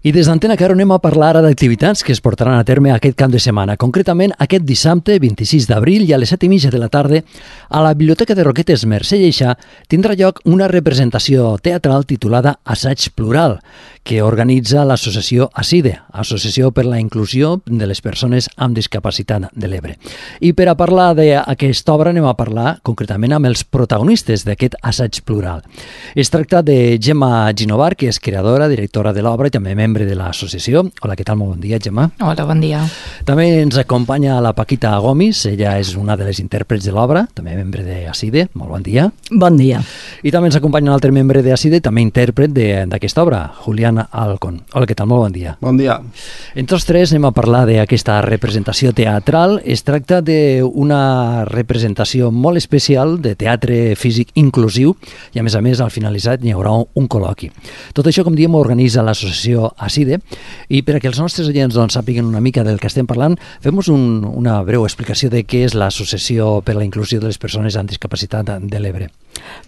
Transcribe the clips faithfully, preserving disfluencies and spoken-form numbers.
I des d'Antena Caro anem a parlar ara d'activitats que es portaran a terme aquest cap de setmana. Concretament, aquest dissabte, vint-i-sis d'abril, i a les set i mitja de la tarda, a la Biblioteca de Roquetes Mercè Lleixà tindrà lloc una representació teatral titulada Assaig Plural, que organitza l'associació ASIDE, Associació per la Inclusió de les Persones amb Discapacitat de l'Ebre. I per a parlar d'aquesta obra anem a parlar concretament amb els protagonistes d'aquest Assaig Plural. Es tracta de Gemma Ginovar, que és creadora, directora de l'obra i també membre de l'associació. Hola, què tal? Molt bon dia, Gemma. Hola, bon dia. També ens acompanya la Paquita Gomis, ella és una de les intèrprets de l'obra, també membre de ASIDE. Molt bon dia. Bon dia. I també ens acompanya un altre membre de ASIDE, també intèrpret d'aquesta obra, Julián Alcón. Hola, què tal? Molt bon dia. Bon dia. Entre els tres anem a parlar d'aquesta representació teatral. Es tracta d'una representació molt especial de teatre físic inclusiu i, a més a més, al finalitzat hi haurà un col·loqui. Tot això, com diem, ho organitza l'associació ASIDE, i per a que els nostres oients doncs, sàpiguen una mica del que estem parlant, fem-nos un, una breu explicació de què és l'Associació per la Inclusió de les Persones amb Discapacitat de l'Ebre.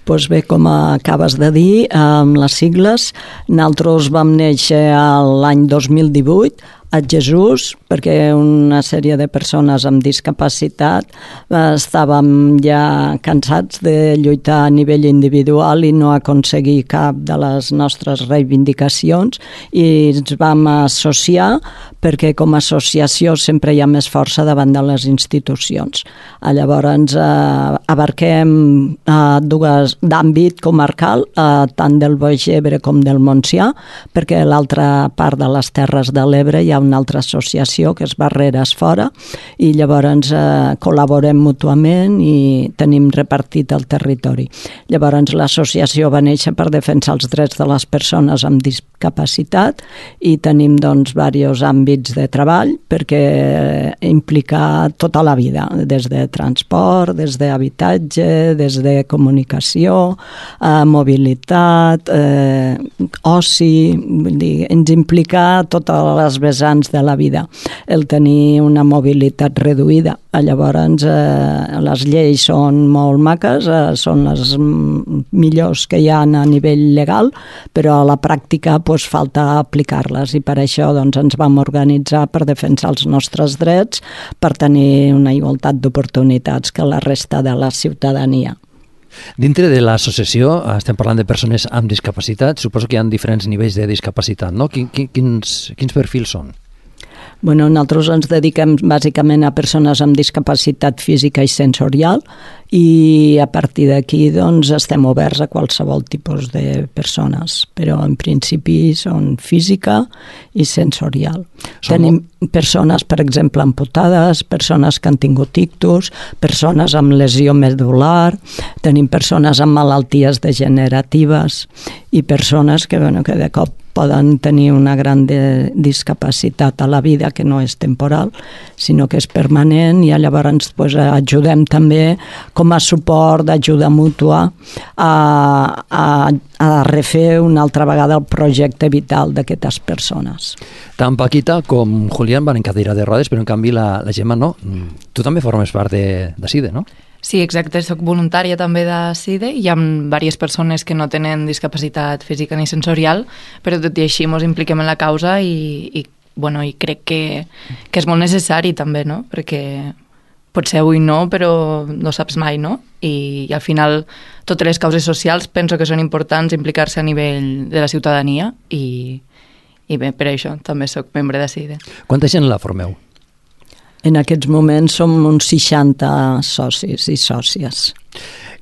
Doncs bé, com acabes de dir, amb les sigles, nosaltres vam néixer l'any dos mil divuit a Jesús, perquè una sèrie de persones amb discapacitat estàvem ja cansats de lluitar a nivell individual i no aconseguir cap de les nostres reivindicacions, i ens vam associar perquè com a associació sempre hi ha més força davant de les institucions. Llavors eh, abarquem eh, dues d'àmbit comarcal, eh, tant del Baix Ebre com del Montsià, perquè a l'altra part de les Terres de l'Ebre hi ha una altra associació que és Barreres Fora, i llavors eh, col·laborem mútuament i tenim repartit el territori. Llavors l'associació va néixer per defensar els drets de les persones amb discapacitat i tenim doncs diversos àmbits de treball perquè implica tota la vida, des de transport, des d'habitatge, des de comunicació, eh, mobilitat, eh, oci, vull dir, ens implica totes les vessants de la vida, el tenir una mobilitat reduïda. Llavors eh, les lleis són molt maques, eh, són les millors que hi ha a nivell legal, però a la pràctica pues, falta aplicar-les, i per això doncs, ens vam organitzar per defensar els nostres drets, per tenir una igualtat d'oportunitats que la resta de la ciutadania. Dintre de l'associació estem parlant de persones amb discapacitat. Suposo que hi ha diferents nivells de discapacitat, no? Quins, quins perfils són? Bueno, nosaltres ens dediquem bàsicament a persones amb discapacitat física i sensorial, i a partir d'aquí doncs, estem oberts a qualsevol tipus de persones, però en principi són física i sensorial. Som... Tenim persones, per exemple, amputades, persones que han tingut ictus, persones amb lesió medular, tenim persones amb malalties degeneratives i persones que, bueno, que de cop poden tenir una gran de discapacitat a la vida que no és temporal, sinó que és permanent, i llavors pues, ajudem també com a suport d'ajuda mútua a, a, a refer una altra vegada el projecte vital d'aquestes persones. Tant Paquita com Julián van en cadira de rodes, però en canvi la, la Gemma no. Tu també formes part d'ASIDE, no? Sí, exacte, soc voluntària també de ASIDE, i hi ha diverses persones que no tenen discapacitat física ni sensorial, però tot i així ens impliquem en la causa i, i, bueno, i crec que, que és molt necessari també, no? Perquè potser avui no, però no saps mai, no? I, i al final totes les causes socials penso que són importants implicar-se a nivell de la ciutadania, i, i bé, per això també soc membre d'ASIDE. Quanta gent la formeu? En aquests moments som uns seixanta socis i sòcies.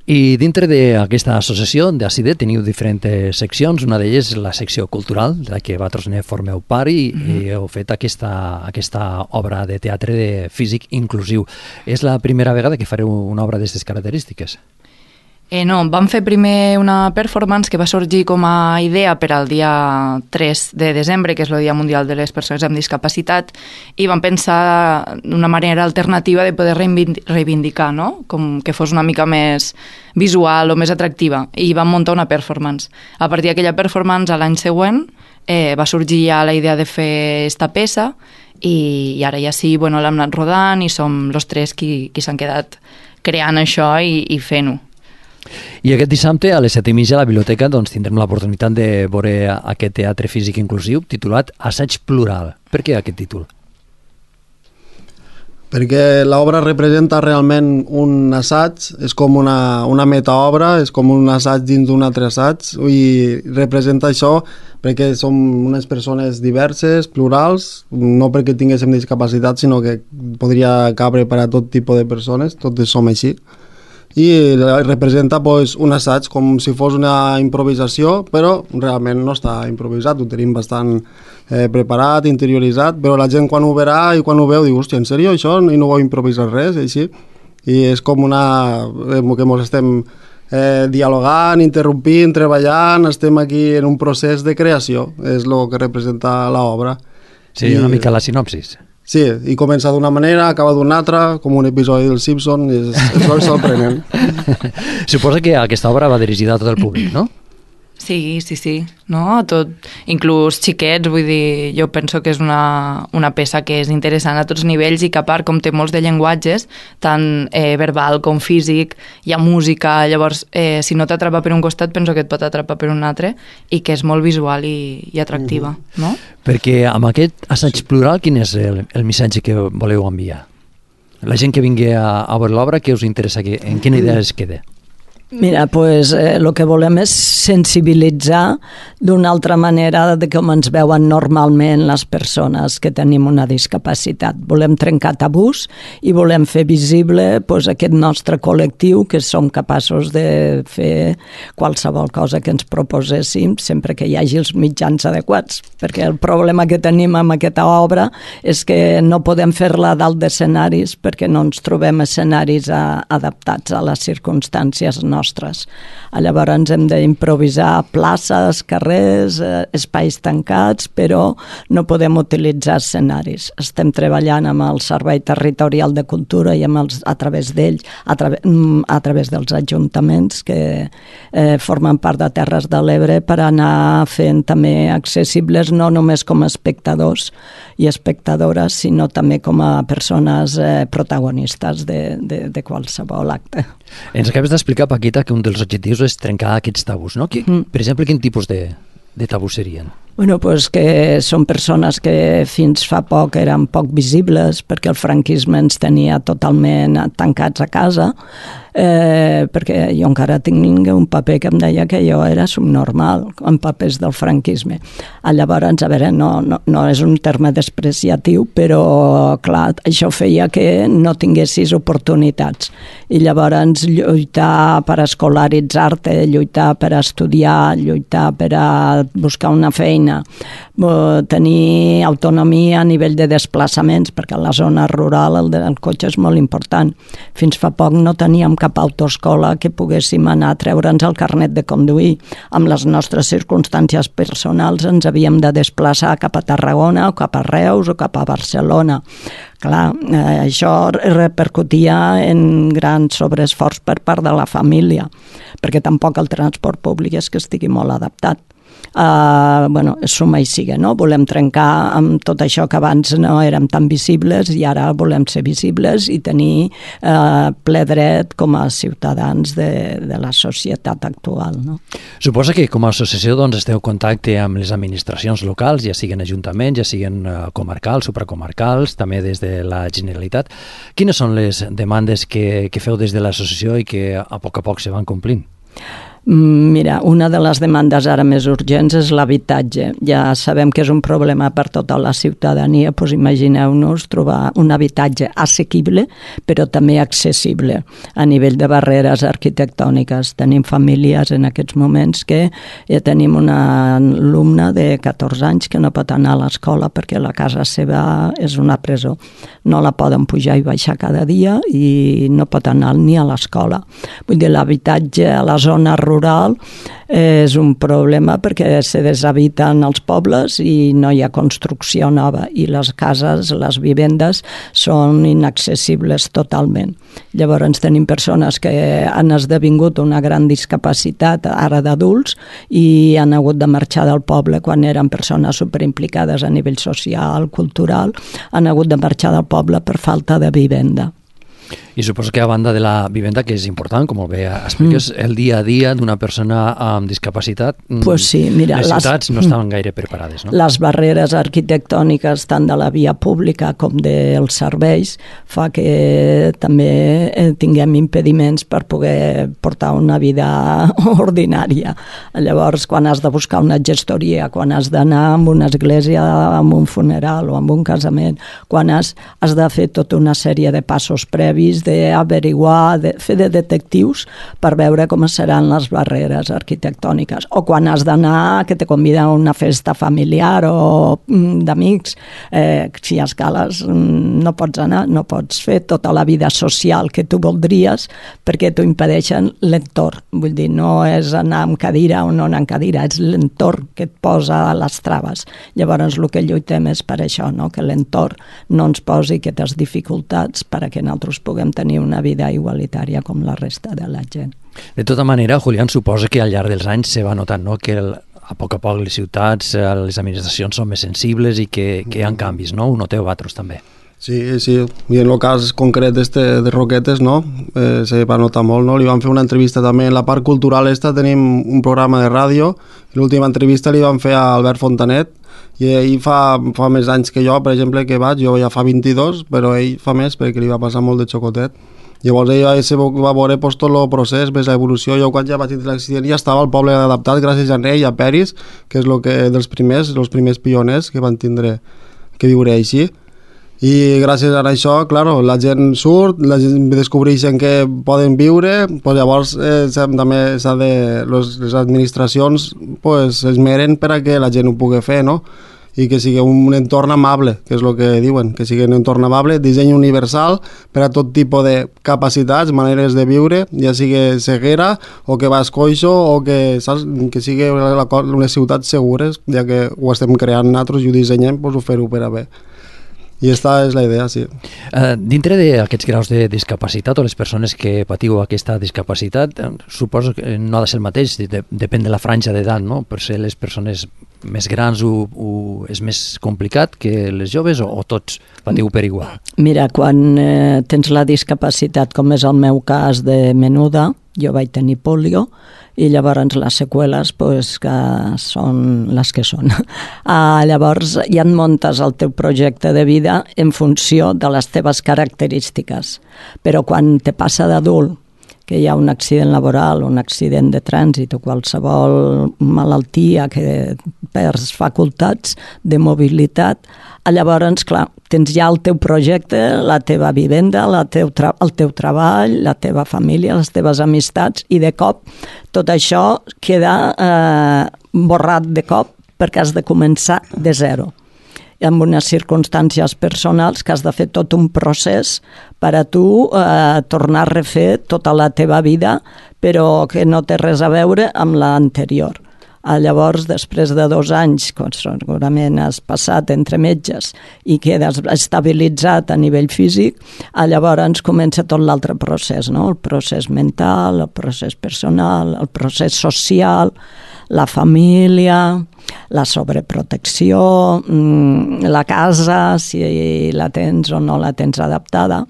I dintre d'aquesta associació d'ASIDE teniu diferents seccions. Una d'elles és la secció cultural, de la que vosaltres ne formeu part, i, mm-hmm. i heu fet aquesta, aquesta obra de teatre de físic inclusiu. És la primera vegada que fareu una obra d'aquestes característiques? Eh, no, vam fer primer una performance que va sorgir com a idea per al dia tres de desembre, que és el Dia Mundial de les Persones amb Discapacitat, i vam pensar una manera alternativa de poder reivindicar, no? Com que fos una mica més visual o més atractiva, i vam muntar una performance. A partir d'aquella performance, l'any següent, eh, va sorgir ja la idea de fer esta peça, i, i ara ja sí, bueno, l'hem anat rodant i som els tres qui, qui s'han quedat creant això i, i fent-ho. I aquest dissabte a les set i mitja a la biblioteca doncs, tindrem l'oportunitat de veure aquest teatre físic inclusiu titulat Assaig Plural. Per què aquest títol? Perquè l'obra representa realment un assaig, és com una, una metaobra, és com un assaig dins d'un altre assaig, i representa això perquè som unes persones diverses, plurals, no perquè tinguéssim discapacitat, sinó que podria cabre per a tot tipus de persones, totes som així. I representa pues, un assaig com si fos una improvisació, però realment no està improvisat, ho tenim bastant eh, preparat, interioritzat, però la gent quan ho veurà i quan ho veu diu, hòstia, en sèrio això? I no vau improvisar res, així. I és com una... Eh, que ens estem eh, dialogant, interrompint, treballant, estem aquí en un procés de creació, és el que representa l'obra. Seria una mica la sinopsis. Sí, i comença d'una manera, acaba d'una altra, com un episodi del Simpson, i és, és molt sorprenent. Suposa que aquesta obra va dirigida a tot el públic, no? Sí, sí, sí, no? Tot, inclús xiquets, vull dir, jo penso que és una, una peça que és interessant a tots nivells i que a part, com té molts de llenguatges, tant eh, verbal com físic, hi ha música, llavors, eh, si no t'atrapa per un costat, penso que et pot atrapar per un altre, i que és molt visual i, i atractiva, uh-huh. no? Perquè amb aquest assaig plural, quin és el, el missatge que voleu enviar? La gent que vingui a, a veure l'obra, què us interessa? Que, en quina idea es queda? Mira, pues, eh, el que volem és sensibilitzar d'una altra manera de com ens veuen normalment les persones que tenim una discapacitat. Volem trencar tabús i volem fer visible pues, aquest nostre col·lectiu, que som capaços de fer qualsevol cosa que ens proposéssim sempre que hi hagi els mitjans adequats, perquè el problema que tenim amb aquesta obra és que no podem fer-la a dalt d'escenaris perquè no ens trobem escenaris a, adaptats a les circumstàncies nostres. nostres. Llavors ens hem d'improvisar places, carrers, eh, espais tancats, però no podem utilitzar escenaris. Estem treballant amb el Servei Territorial de Cultura i amb els, a través d'ell, a, tra a través dels ajuntaments que eh, formen part de Terres de l'Ebre per anar fent també accessibles no només com a espectadors i espectadores, sinó també com a persones eh, protagonistes de, de, de qualsevol acte. Ens acabes d'explicar, Paquita, que un dels objectius és trencar aquests tabús, no? Que, mm. Per exemple, quin tipus de, de tabús serien? Bueno, pues que són persones que fins fa poc eren poc visibles perquè el franquisme ens tenia totalment tancats a casa, eh, perquè jo encara tinc un paper que em deia que jo era subnormal en papers del franquisme. Llavors, a veure, no, no, no és un terme despreciatiu, però clar, això feia que no tinguessis oportunitats. I llavors lluitar per escolaritzar-te, lluitar per estudiar, lluitar per a buscar una feina, tenir autonomia a nivell de desplaçaments, perquè a la zona rural el, el cotxe és molt important. Fins fa poc no teníem cap autoescola que poguéssim anar a treure'ns el carnet de conduir. Amb les nostres circumstàncies personals ens havíem de desplaçar cap a Tarragona o cap a Reus o cap a Barcelona. Clar, eh, això repercutia en gran sobreesforç per part de la família, perquè tampoc el transport públic és que estigui molt adaptat. Uh, bueno, suma i siga, no? Volem trencar amb tot això que abans no érem tan visibles i ara volem ser visibles i tenir uh, ple dret com a ciutadans de, de la societat actual, no? Suposa que com a associació doncs, esteu en contacte amb les administracions locals, ja siguin ajuntaments, ja siguin uh, comarcals, supracomarcals, també des de la Generalitat. Quines són les demandes que, que feu des de l'associació i que a poc a poc se van complint? Mira, una de les demandes ara més urgents és l'habitatge. Ja sabem que és un problema per tota la ciutadania, doncs imagineu-nos trobar un habitatge assequible, però també accessible a nivell de barreres arquitectòniques. Tenim famílies en aquests moments que ja tenim una alumna de catorze anys que no pot anar a l'escola perquè la casa seva és una presó. No la poden pujar i baixar cada dia i no pot anar ni a l'escola. Vull dir, l'habitatge a la zona rural rural és un problema perquè se deshabiten els pobles i no hi ha construcció nova i les cases, les vivendes són inaccessibles totalment. Llavors tenim persones que han esdevingut una gran discapacitat ara d'adults i han hagut de marxar del poble quan eren persones superimplicades a nivell social, cultural, han hagut de marxar del poble per falta de vivenda. I suposo que a banda de la vivenda, que és important, com bé expliques, mm. el dia a dia d'una persona amb discapacitat, pues sí, mira, les ciutats les, no estan gaire preparades. No? Les barreres arquitectòniques tant de la via pública com dels serveis fa que també tinguem impediments per poder portar una vida ordinària. Llavors, quan has de buscar una gestoria, quan has d'anar a una església, a un funeral o a un casament, quan has, has de fer tota una sèrie de passos previs, d'averiguar, de fer de detectius per veure com seran les barreres arquitectòniques. O quan has d'anar, que te convida a una festa familiar o d'amics, eh, si a escales no pots anar, no pots fer tota la vida social que tu voldries perquè t'ho impedeixen l'entorn. Vull dir, no és anar amb cadira o no anar amb cadira, és l'entorn que et posa les traves. Llavors, el que lluitem és per això, no? Que l'entorn no ens posi aquestes dificultats perquè nosaltres puguem tenir una vida igualitària com la resta de la gent. De tota manera, Julián, suposa que al llarg dels anys se va notant, no?, que el, a poc a poc les ciutats, les administracions són més sensibles i que, que hi ha canvis, no? Ho noteu vosaltres també. Sí, sí, i en el cas concret este de Roquetes, no? Eh, se va notar molt, no? Li vam fer una entrevista també en la part cultural esta, tenim un programa de ràdio, l'última entrevista li vam fer a Albert Fontanet, i ell fa, fa més anys que jo, per exemple, que vaig, jo ja fa vint-i-dos, però ell fa més perquè li va passar molt de xocotet. Llavors ell va, va veure pues, tot el procés, més l'evolució. Jo quan ja vaig tenir l'accident ja estava al poble adaptat gràcies a ell i a Peris, que és lo que, dels primers, els primers pioners que van tindre que viure així. I gràcies a això, claro, la gent surt, la gent descobreixen que poden viure, pues llavors eh, també s'ha de, les, les administracions pues, esmeren per a que la gent ho pugui fer, no? I que sigui un entorn amable, que és el que diuen, que sigui un entorn amable, disseny universal per a tot tipus de capacitats, maneres de viure, ja sigui ceguera o que vas coixo o que, saps, que sigui unes ciutats segures, ja que ho estem creant nosaltres i ho dissenyem, doncs ho fer-ho per a bé. I aquesta és la idea, sí. Uh, dintre d'aquests graus de discapacitat o les persones que patiu aquesta discapacitat, suposo que no ha de ser el mateix, de, depèn de la franja d'edat, no? Per ser les persones més grans ho, ho, és més complicat que les joves o, o tots patiu per igual? Mira, quan eh, tens la discapacitat, com és el meu cas de menuda, jo vaig tenir polio, i llavors les seqüeles pues, que són les que són. Ah, llavors ja et muntes el teu projecte de vida en funció de les teves característiques, però quan te passa d'adult, que hi ha un accident laboral, un accident de trànsit o qualsevol malaltia que perds facultats de mobilitat, llavors, clar, tens ja el teu projecte, la teva vivenda, la teu tra- el teu treball, la teva família, les teves amistats, i de cop tot això queda eh, borrat de cop perquè has de començar de zero. Amb unes circumstàncies personals que has de fer tot un procés per a tu eh, tornar a refer tota la teva vida, però que no té res a veure amb l'anterior. Llavors, després de dos anys, quan segurament has passat entre metges i quedes estabilitzat a nivell físic, llavors comença tot l'altre procés, no? El procés mental, el procés personal, el procés social, la família, la sobreprotecció, la casa, si la tens o no la tens adaptada,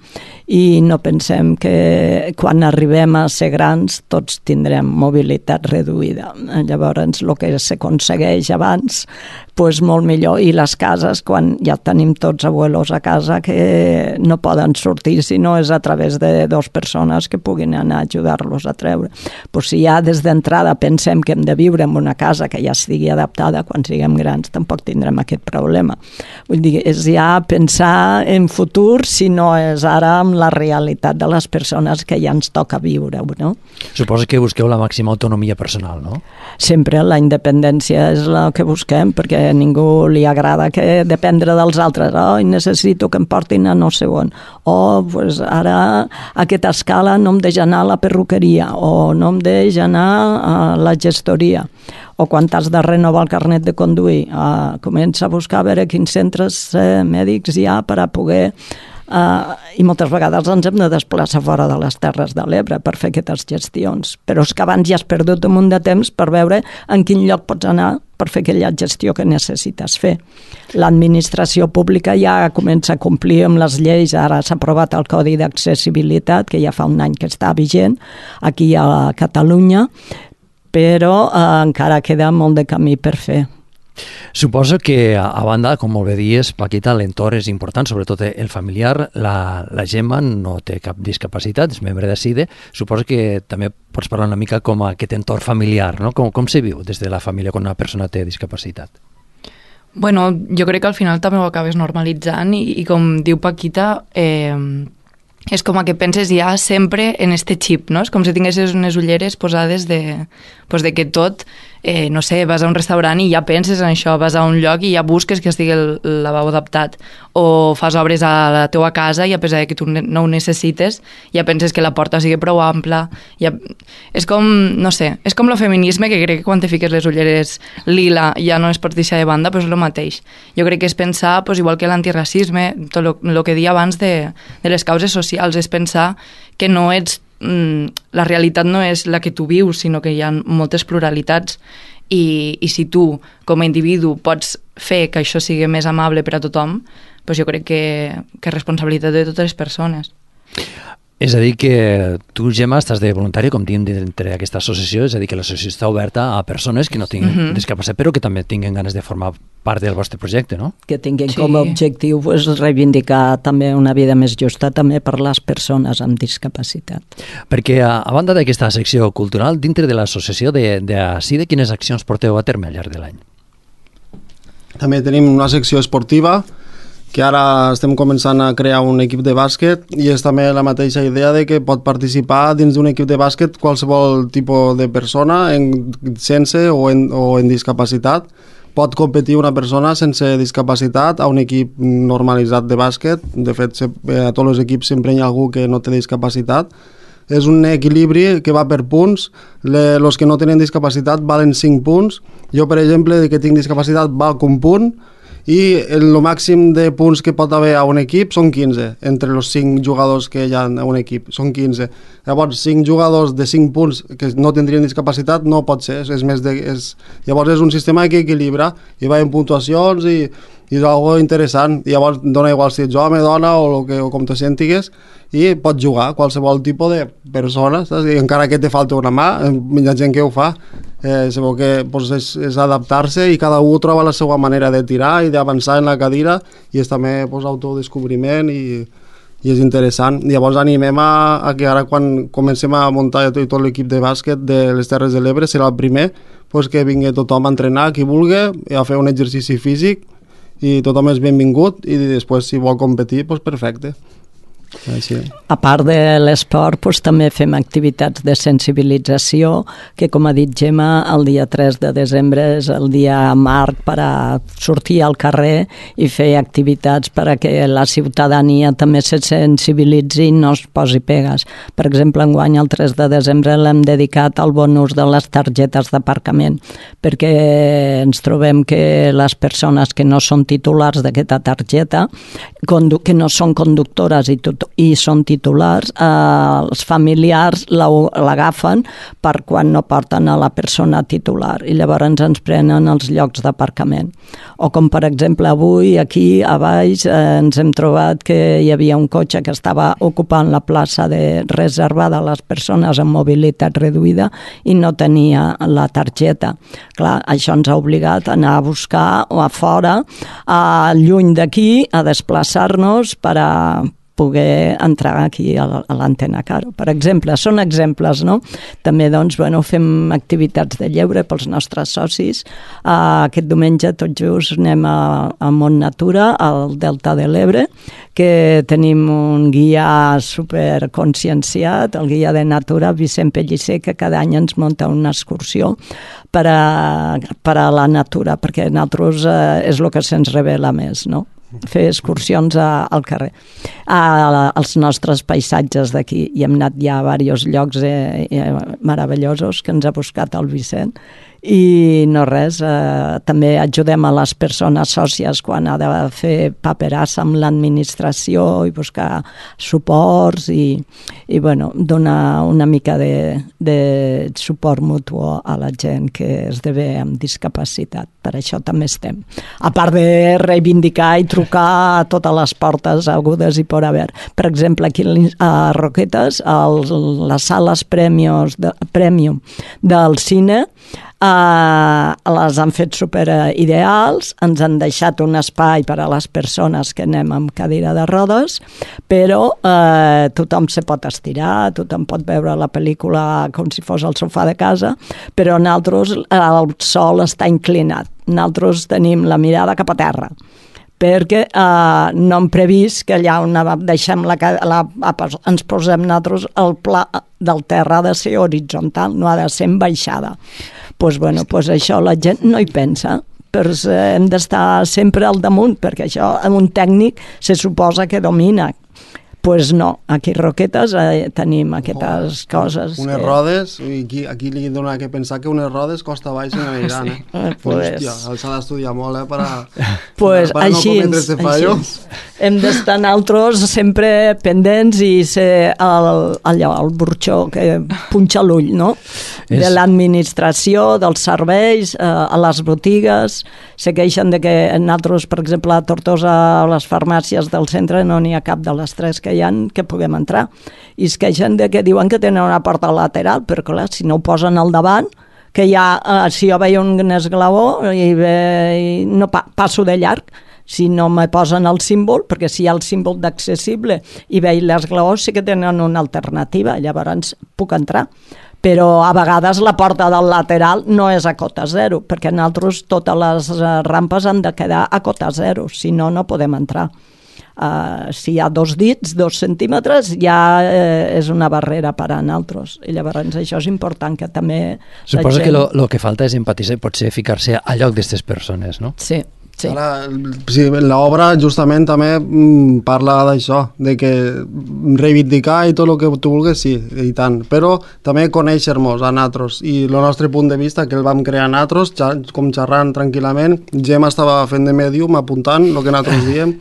i no pensem que quan arribem a ser grans tots tindrem mobilitat reduïda. Llavors, el que s'aconsegueix abans, doncs molt millor. I les cases, quan ja tenim tots abuelos a casa que no poden sortir si no és a través de dues persones que puguin anar a ajudar-los a treure. Doncs si ja des d'entrada pensem que hem de viure en una casa que ja estigui adaptada, quan siguem grans tampoc tindrem aquest problema. Vull dir, és ja pensar en futur, si no és ara amb la realitat de les persones que ja ens toca viure-ho, no? Suposo que busqueu la màxima autonomia personal, no? Sempre la independència és la que busquem, perquè a ningú li agrada que dependre dels altres. Oh, necessito que em portin a no sé on. O pues, ara a aquesta escala no em deixa anar a la perruqueria, o no em deixa anar a la gestoria. O quan has de renovar el carnet de conduir, uh, comença a buscar a veure quins centres eh, mèdics hi ha per a poder Uh, I moltes vegades ens hem de desplaçar fora de les Terres de l'Ebre per fer aquestes gestions. Però és que abans ja has perdut un munt de temps per veure en quin lloc pots anar per fer aquella gestió que necessites fer. L'administració pública ja comença a complir amb les lleis, ara s'ha aprovat el Codi d'Accessibilitat, que ja fa un any que està vigent, aquí a Catalunya, però eh, encara queda molt de camí per fer. Suposo que, a banda, com molt bé dies, Paquita, l'entorn és important, sobretot el familiar. La, la Gemma no té cap discapacitat, és membre de SIDE. Suposo que també pots parlar una mica com aquest entorn familiar, no? Com, com se viu des de la família quan una persona té discapacitat? Bueno, jo crec que al final també ho acabes normalitzant i, i com diu Paquita, eh, és com que penses ja sempre en este xip, no? És com si tinguessis unes ulleres posades de, pues de que tot, eh, no sé, vas a un restaurant i ja penses en això, vas a un lloc i ja busques que estigui el, el lavabo adaptat, o fas obres a la teua casa i a pesar que tu no ho necessites, ja penses que la porta sigui prou ampla. Ja... És com, no sé, és com el feminisme, que crec que quan te fiques les ulleres lila ja no es pot deixar de banda, però és el mateix. Jo crec que és pensar, pues, igual que l'antiracisme, tot el que deia abans de, de les causes socials, és pensar que no ets la realitat no és la que tu vius, sinó que hi ha moltes pluralitats i, i si tu, com a individu, pots fer que això sigui més amable per a tothom, doncs jo crec que, que és responsabilitat de totes les persones. És a dir, que tu, Gemma, estàs de voluntària, com diem, dintre d'aquesta associació, és a dir, que l'associació està oberta a persones que no tinguin uh -huh. discapacitat, però que també tinguin ganes de formar part del vostre projecte, no? Que tinguin sí. com a objectiu pues, reivindicar també una vida més justa també per les persones amb discapacitat. Perquè, a, a banda d'aquesta secció cultural, dintre de l'associació de, de SIDE, quines accions porteu a terme al llarg de l'any? També tenim una secció esportiva, que ara estem començant a crear un equip de bàsquet i és també la mateixa idea de que pot participar dins d'un equip de bàsquet qualsevol tipus de persona, en, sense o en, o en discapacitat. Pot competir una persona sense discapacitat a un equip normalitzat de bàsquet. De fet, a tots els equips sempre hi ha algú que no té discapacitat. És un equilibri que va per punts. Els que no tenen discapacitat valen cinc punts. Jo, per exemple, de que tinc discapacitat valc un punt, i el màxim de punts que pot haver a un equip són quinze, entre els cinc jugadors que hi ha a un equip, són quinze. Llavors, cinc jugadors de cinc punts que no tindrien discapacitat no pot ser, és més de, és, llavors és un sistema que equilibra i va en puntuacions i, i és algo interessant. I llavors dona igual si ets home, dona o, lo que, o com te sentigues, i pots jugar qualsevol tipus de persona, saps? I encara que te falta una mà, hi ha gent que ho fa. Eh, sabeu que pues, és, és adaptar-se i cada un troba la seva manera de tirar i d'avançar en la cadira i és també pues, autodescobriment i, i és interessant. I llavors animem a, a que ara quan comencem a muntar tot, tot l'equip de bàsquet de les Terres de l'Ebre serà el primer pues, que vingui tothom a entrenar, qui vulgui, a fer un exercici físic i tothom és benvingut i després si vol competir, pues, perfecte. Així. A part de l'esport, doncs, també fem activitats de sensibilització, que com ha dit Gemma, el dia tres de desembre és el dia marc per a sortir al carrer i fer activitats per a que la ciutadania també se sensibilitzi i no es posi pegues. Per exemple, enguany el tres de desembre l'hem dedicat al bon ús de les targetes d'aparcament, perquè ens trobem que les persones que no són titulars d'aquesta targeta, que no són conductores i tot i són titulars, eh, els familiars l'agafen per quan no porten a la persona titular i llavors ens prenen els llocs d'aparcament. O com per exemple avui aquí a baix eh, ens hem trobat que hi havia un cotxe que estava ocupant la plaça de reservada a les persones amb mobilitat reduïda i no tenia la targeta. Clar, això ens ha obligat a anar a buscar o a fora, a lluny d'aquí, a desplaçar-nos per a poder entrar aquí a l'Antena Caro. Per exemple, són exemples, no? També, doncs, bueno, fem activitats de lleure pels nostres socis. Uh, aquest diumenge, tot just, anem a, a Mont Natura, al Delta de l'Ebre, que tenim un guia superconscienciat, el guia de Natura, Vicent Pellicer, que cada any ens munta una excursió per a, per a la natura, perquè a nosaltres uh, és el que se'ns revela més, no? Fer excursions a, al carrer, a, a, als nostres paisatges d'aquí, i hem anat ja a diversos llocs eh, eh, meravellosos que ens ha buscat el Vicent i no res, eh, també ajudem a les persones sòcies quan ha de fer paperassa amb l'administració i buscar suports i, i bueno, donar una mica de, de suport mutu a la gent que esdevé amb discapacitat. Per això també estem. A part de reivindicar i trucar a totes les portes agudes i por haver. Per exemple, aquí a Roquetes, a les sales premios de, premium del cine, Uh, les han fet super ideals, ens han deixat un espai per a les persones que anem amb cadira de rodes, però uh, tothom se pot estirar, tothom pot veure la pel·lícula com si fos al sofà de casa, però nosaltres el sol està inclinat, nosaltres tenim la mirada cap a terra, perquè eh, no hem previst que allà on deixem la, la, ens posem nosaltres, el pla del terra ha de ser horitzontal, no ha de ser en baixada. Doncs pues, bueno, pues això la gent no hi pensa, però hem d'estar sempre al damunt, perquè això un tècnic se suposa que domina. Pues no, aquí a Roquetes eh, tenim aquestes oh, coses. Unes que... rodes, aquí, aquí li dona que pensar que unes rodes costa baix en aniran, eh? eh pues... Hòstia, s'ha d'estudiar molt, eh, per a, pues, per a així, no cometre este fallo. Hem d'estar nosaltres sempre pendents i ser el, allò, el burxó que punxa l'ull, no? És... De l'administració, dels serveis, eh, a les botigues, se queixen de que nosaltres, per exemple, a Tortosa, a les farmàcies del centre, no n'hi ha cap de les tres que hi ha que puguem entrar. I es queixen de que diuen que tenen una porta lateral, però clar, si no ho posen al davant, que ja, eh, si jo veia un esglaó i, ve, i no pa, passo de llarg, si no me posen el símbol, perquè si hi ha el símbol d'accessible i veig l'esglaó, sí que tenen una alternativa, llavors puc entrar. Però a vegades la porta del lateral no és a cota zero, perquè nosaltres totes les rampes han de quedar a cota zero, si no, no podem entrar. Uh, si hi ha dos dits, dos centímetres, ja eh, és una barrera per a nosaltres. I llavors això és important, que també... Suposo gent... que el que falta és empatitzar i potser ficar-se a lloc d'aquestes persones, no? Sí. Sí. Ara, sí, l'obra justament també mm, parla d'això, de que reivindicar i tot el que tu vulguis, sí, i tant, però també conèixer-nos a nosaltres i el nostre punt de vista, que el vam crear nosaltres, com xerrant tranquil·lament. Gemma estava fent de mèdium, apuntant el que nosaltres diem,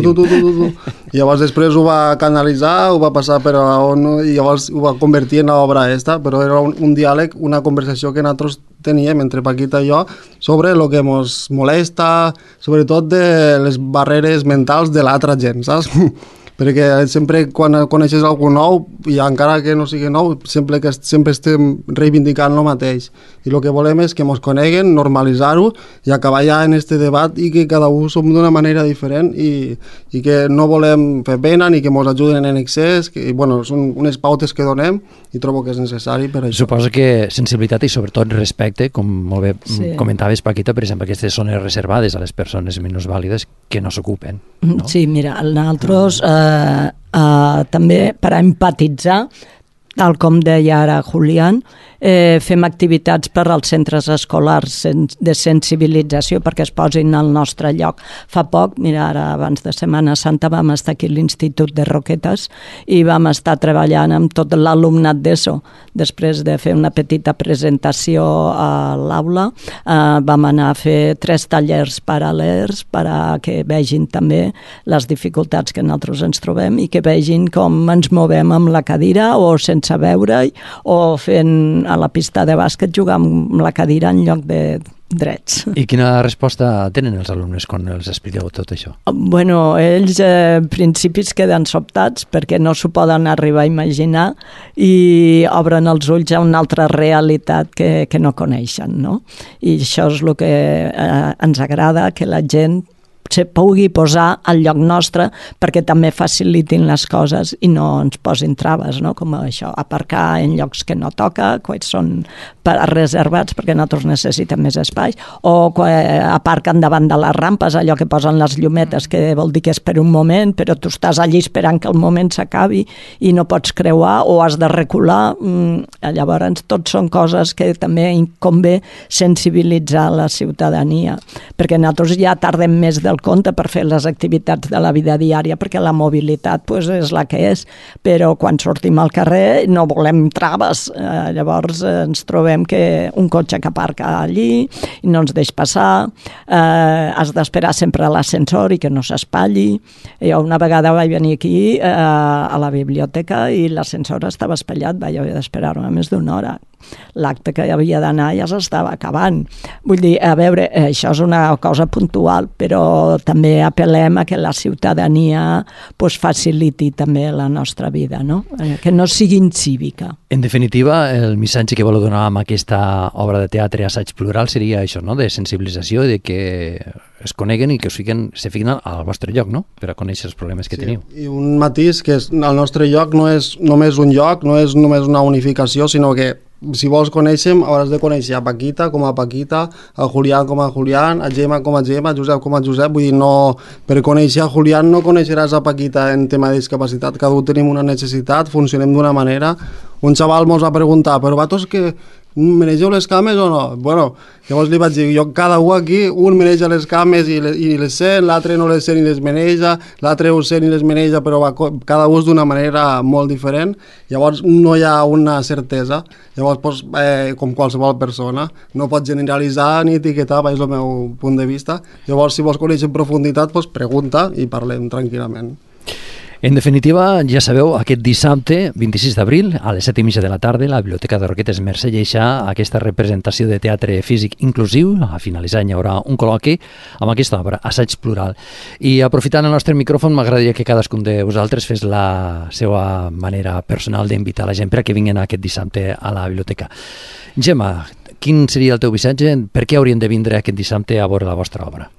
tu, tu, tu, tu, tu. I llavors després ho va canalitzar, ho va passar per on, i llavors ho va convertir en l'obra esta, però era un, un diàleg, una conversació que nosaltres teníem entre Paquita i jo sobre el que ens molesta, sobretot de les barreres mentals de l'altra gent, saps? Perquè sempre quan coneixes algú nou, i encara que no sigui nou, sempre que sempre estem reivindicant el mateix. I el que volem és que ens coneguen, normalitzar-ho i acabar ja en este debat i que cada un som d'una manera diferent i, i que no volem fer pena ni que ens ajuden en excés, que bueno, són unes pautes que donem i trobo que és necessari per això. Suposo que sensibilitat i sobretot respecte, com molt bé sí. comentaves, Paquita, per exemple, aquestes zones reservades a les persones minusvàlides que no s'ocupen. No? Sí, mira, nosaltres eh, Uh, uh, també per a empatitzar, tal com deia ara Julián, eh, fem activitats per als centres escolars de sensibilització perquè es posin al nostre lloc. Fa poc, mira, ara abans de Setmana Santa vam estar aquí a l'Institut de Roquetes i vam estar treballant amb tot l'alumnat d'ESO. Després de fer una petita presentació a l'aula, eh, vam anar a fer tres tallers paral·lels per a que vegin també les dificultats que nosaltres ens trobem i que vegin com ens movem amb la cadira o sense veure-hi o fent a la pista de bàsquet jugar amb la cadira en lloc de drets. I quina resposta tenen els alumnes quan els expliqueu tot això? Bueno, ells eh, en principi es queden sobtats perquè no s'ho poden arribar a imaginar i obren els ulls a una altra realitat que, que no coneixen, no? I això és el que eh, ens agrada, que la gent se pugui posar al lloc nostre perquè també facilitin les coses i no ens posin traves, no? Com això, aparcar en llocs que no toca, quan són reservats perquè nosaltres necessitem més espai, o quan aparquen davant de les rampes, allò que posen les llumetes, que vol dir que és per un moment, però tu estàs allí esperant que el moment s'acabi i no pots creuar o has de recular. Llavors, tot són coses que també convé sensibilitzar la ciutadania, perquè nosaltres ja tardem més del el compte per fer les activitats de la vida diària, perquè la mobilitat pues, és la que és, però quan sortim al carrer no volem traves. Eh, llavors eh, ens trobem que un cotxe que aparca allí i no ens deix passar, eh, has d'esperar sempre a l'ascensor i que no s'espatlli. Jo una vegada vaig venir aquí eh, a la biblioteca i l'ascensor estava espatllat, vaig haver d'esperar-me més d'una hora. L'acte que havia d'anar ja s'estava acabant. Vull dir, a veure, això és una cosa puntual, però també apel·lem a que la ciutadania pues, faciliti també la nostra vida, no? Que no sigui incívica. En definitiva, el missatge que voleu donar amb aquesta obra de teatre Assaig Plural seria això, no? De sensibilització, de que es coneguen i que es fiquen, se fiquen al vostre lloc, no? Per a conèixer els problemes que sí. teniu. I un matís, que és, el nostre lloc no és només un lloc, no és només una unificació, sinó que si vols conèixer, hauràs de conèixer a Paquita com a Paquita, a Julián com a Julián, a Gemma com a Gemma, a Josep com a Josep. Vull dir, no, per conèixer a Julián no coneixeràs a Paquita en tema de discapacitat. Cada un tenim una necessitat, funcionem d'una manera. Un xaval mos va preguntar, però vatos que menegeu les cames o no? Bueno, llavors li vaig dir, jo cada un aquí, un meneja les cames i les, i les sent, l'altre no les sent i les meneja, l'altre ho sent i les meneja, però va, cada un és d'una manera molt diferent. Llavors no hi ha una certesa. Llavors, pues, eh, com qualsevol persona, no pots generalitzar ni etiquetar, és el meu punt de vista. Llavors, si vols conèixer en profunditat, pues, pregunta i parlem tranquil·lament. En definitiva, ja sabeu, aquest dissabte, vint-i-sis d'abril, a les set i mitja de la tarda, la Biblioteca de Roquetes Mercè Lleixà aquesta representació de teatre físic inclusiu. A finalitzar hi haurà un col·loqui amb aquesta obra, Assaig Plural. I aprofitant el nostre micròfon, m'agradaria que cadascun de vosaltres fes la seva manera personal d'invitar la gent per a que vinguin aquest dissabte a la biblioteca. Gemma, quin seria el teu missatge? Per què haurien de vindre aquest dissabte a veure la vostra obra?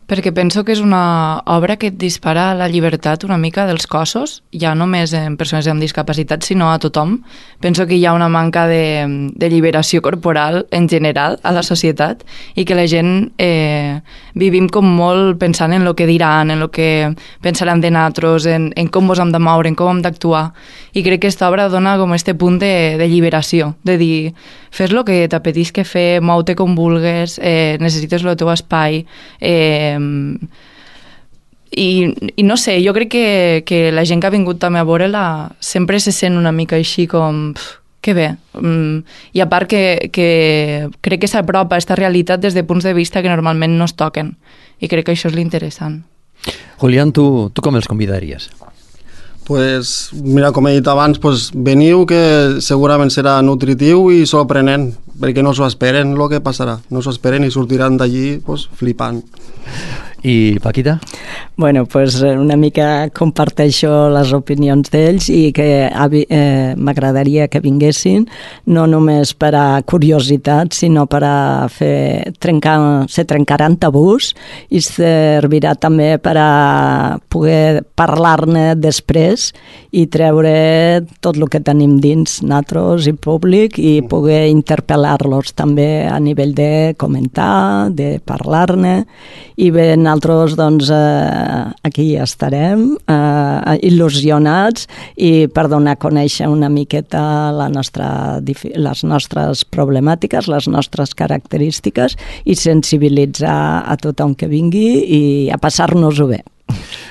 Perquè penso que és una obra que et dispara la llibertat una mica dels cossos, ja no només en persones amb discapacitat, sinó a tothom. Penso que hi ha una manca de, de lliberació corporal en general a la societat i que la gent eh, vivim com molt pensant en el que diran, en el que pensaran de nosaltres, en, en com ens hem de moure, en com hem d'actuar. I crec que aquesta obra dona com este punt de, de lliberació, de dir, fes el que t'apetisca fer, mou-te com vulgues, eh, necessites el teu espai, eh, I, i no sé, jo crec que, que la gent que ha vingut també a veure-la sempre se sent una mica així com pf, que bé, mm, i a part que, que crec que s'apropa a aquesta realitat des de punts de vista que normalment no es toquen i crec que això és l'interessant. Julián, tu, tu com els convidaries? Pues, mira, com he dit abans, pues, veniu, que segurament serà nutritiu i sorprenent, perquè no s'ho esperen el que passarà, no s'ho esperen i sortiran d'allí pues, flipant. I Paquita? Bueno, pues una mica comparteixo les opinions d'ells i que eh, m'agradaria que vinguessin no només per a curiositat, sinó per a fer trencar, se trencaran tabús i servirà també per a poder parlar-ne després i treure tot el que tenim dins nosaltres i públic i poder interpel·lar-los també a nivell de comentar, de parlar-ne i bé, nosaltres doncs, eh, aquí estarem eh, il·lusionats i per donar a conèixer una miqueta la nostra, les nostres problemàtiques, les nostres característiques i sensibilitzar a tothom que vingui i a passar-nos-ho bé.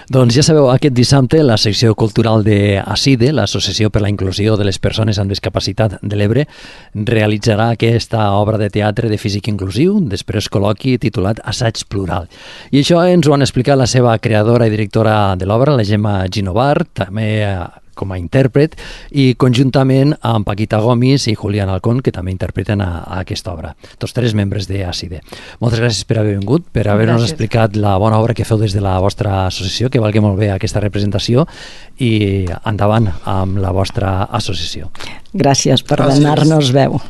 Doncs ja sabeu, aquest dissabte la secció cultural de ACIDE, l'Associació per la Inclusió de les Persones amb Discapacitat de l'Ebre, realitzarà aquesta obra de teatre de físic inclusiu, després col·loqui titulat Assaig Plural. I això ens ho han explicat la seva creadora i directora de l'obra, la Gemma Ginovar, també com a intèrpret, i conjuntament amb Paquita Gomis i Julián Alcón, que també interpreten a, a aquesta obra. Tots tres membres de ACIDE. Moltes gràcies per haver vingut, per haver-nos explicat la bona obra que feu des de la vostra associació, que valgui molt bé aquesta representació, i endavant amb la vostra associació. Gràcies per donar-nos veu.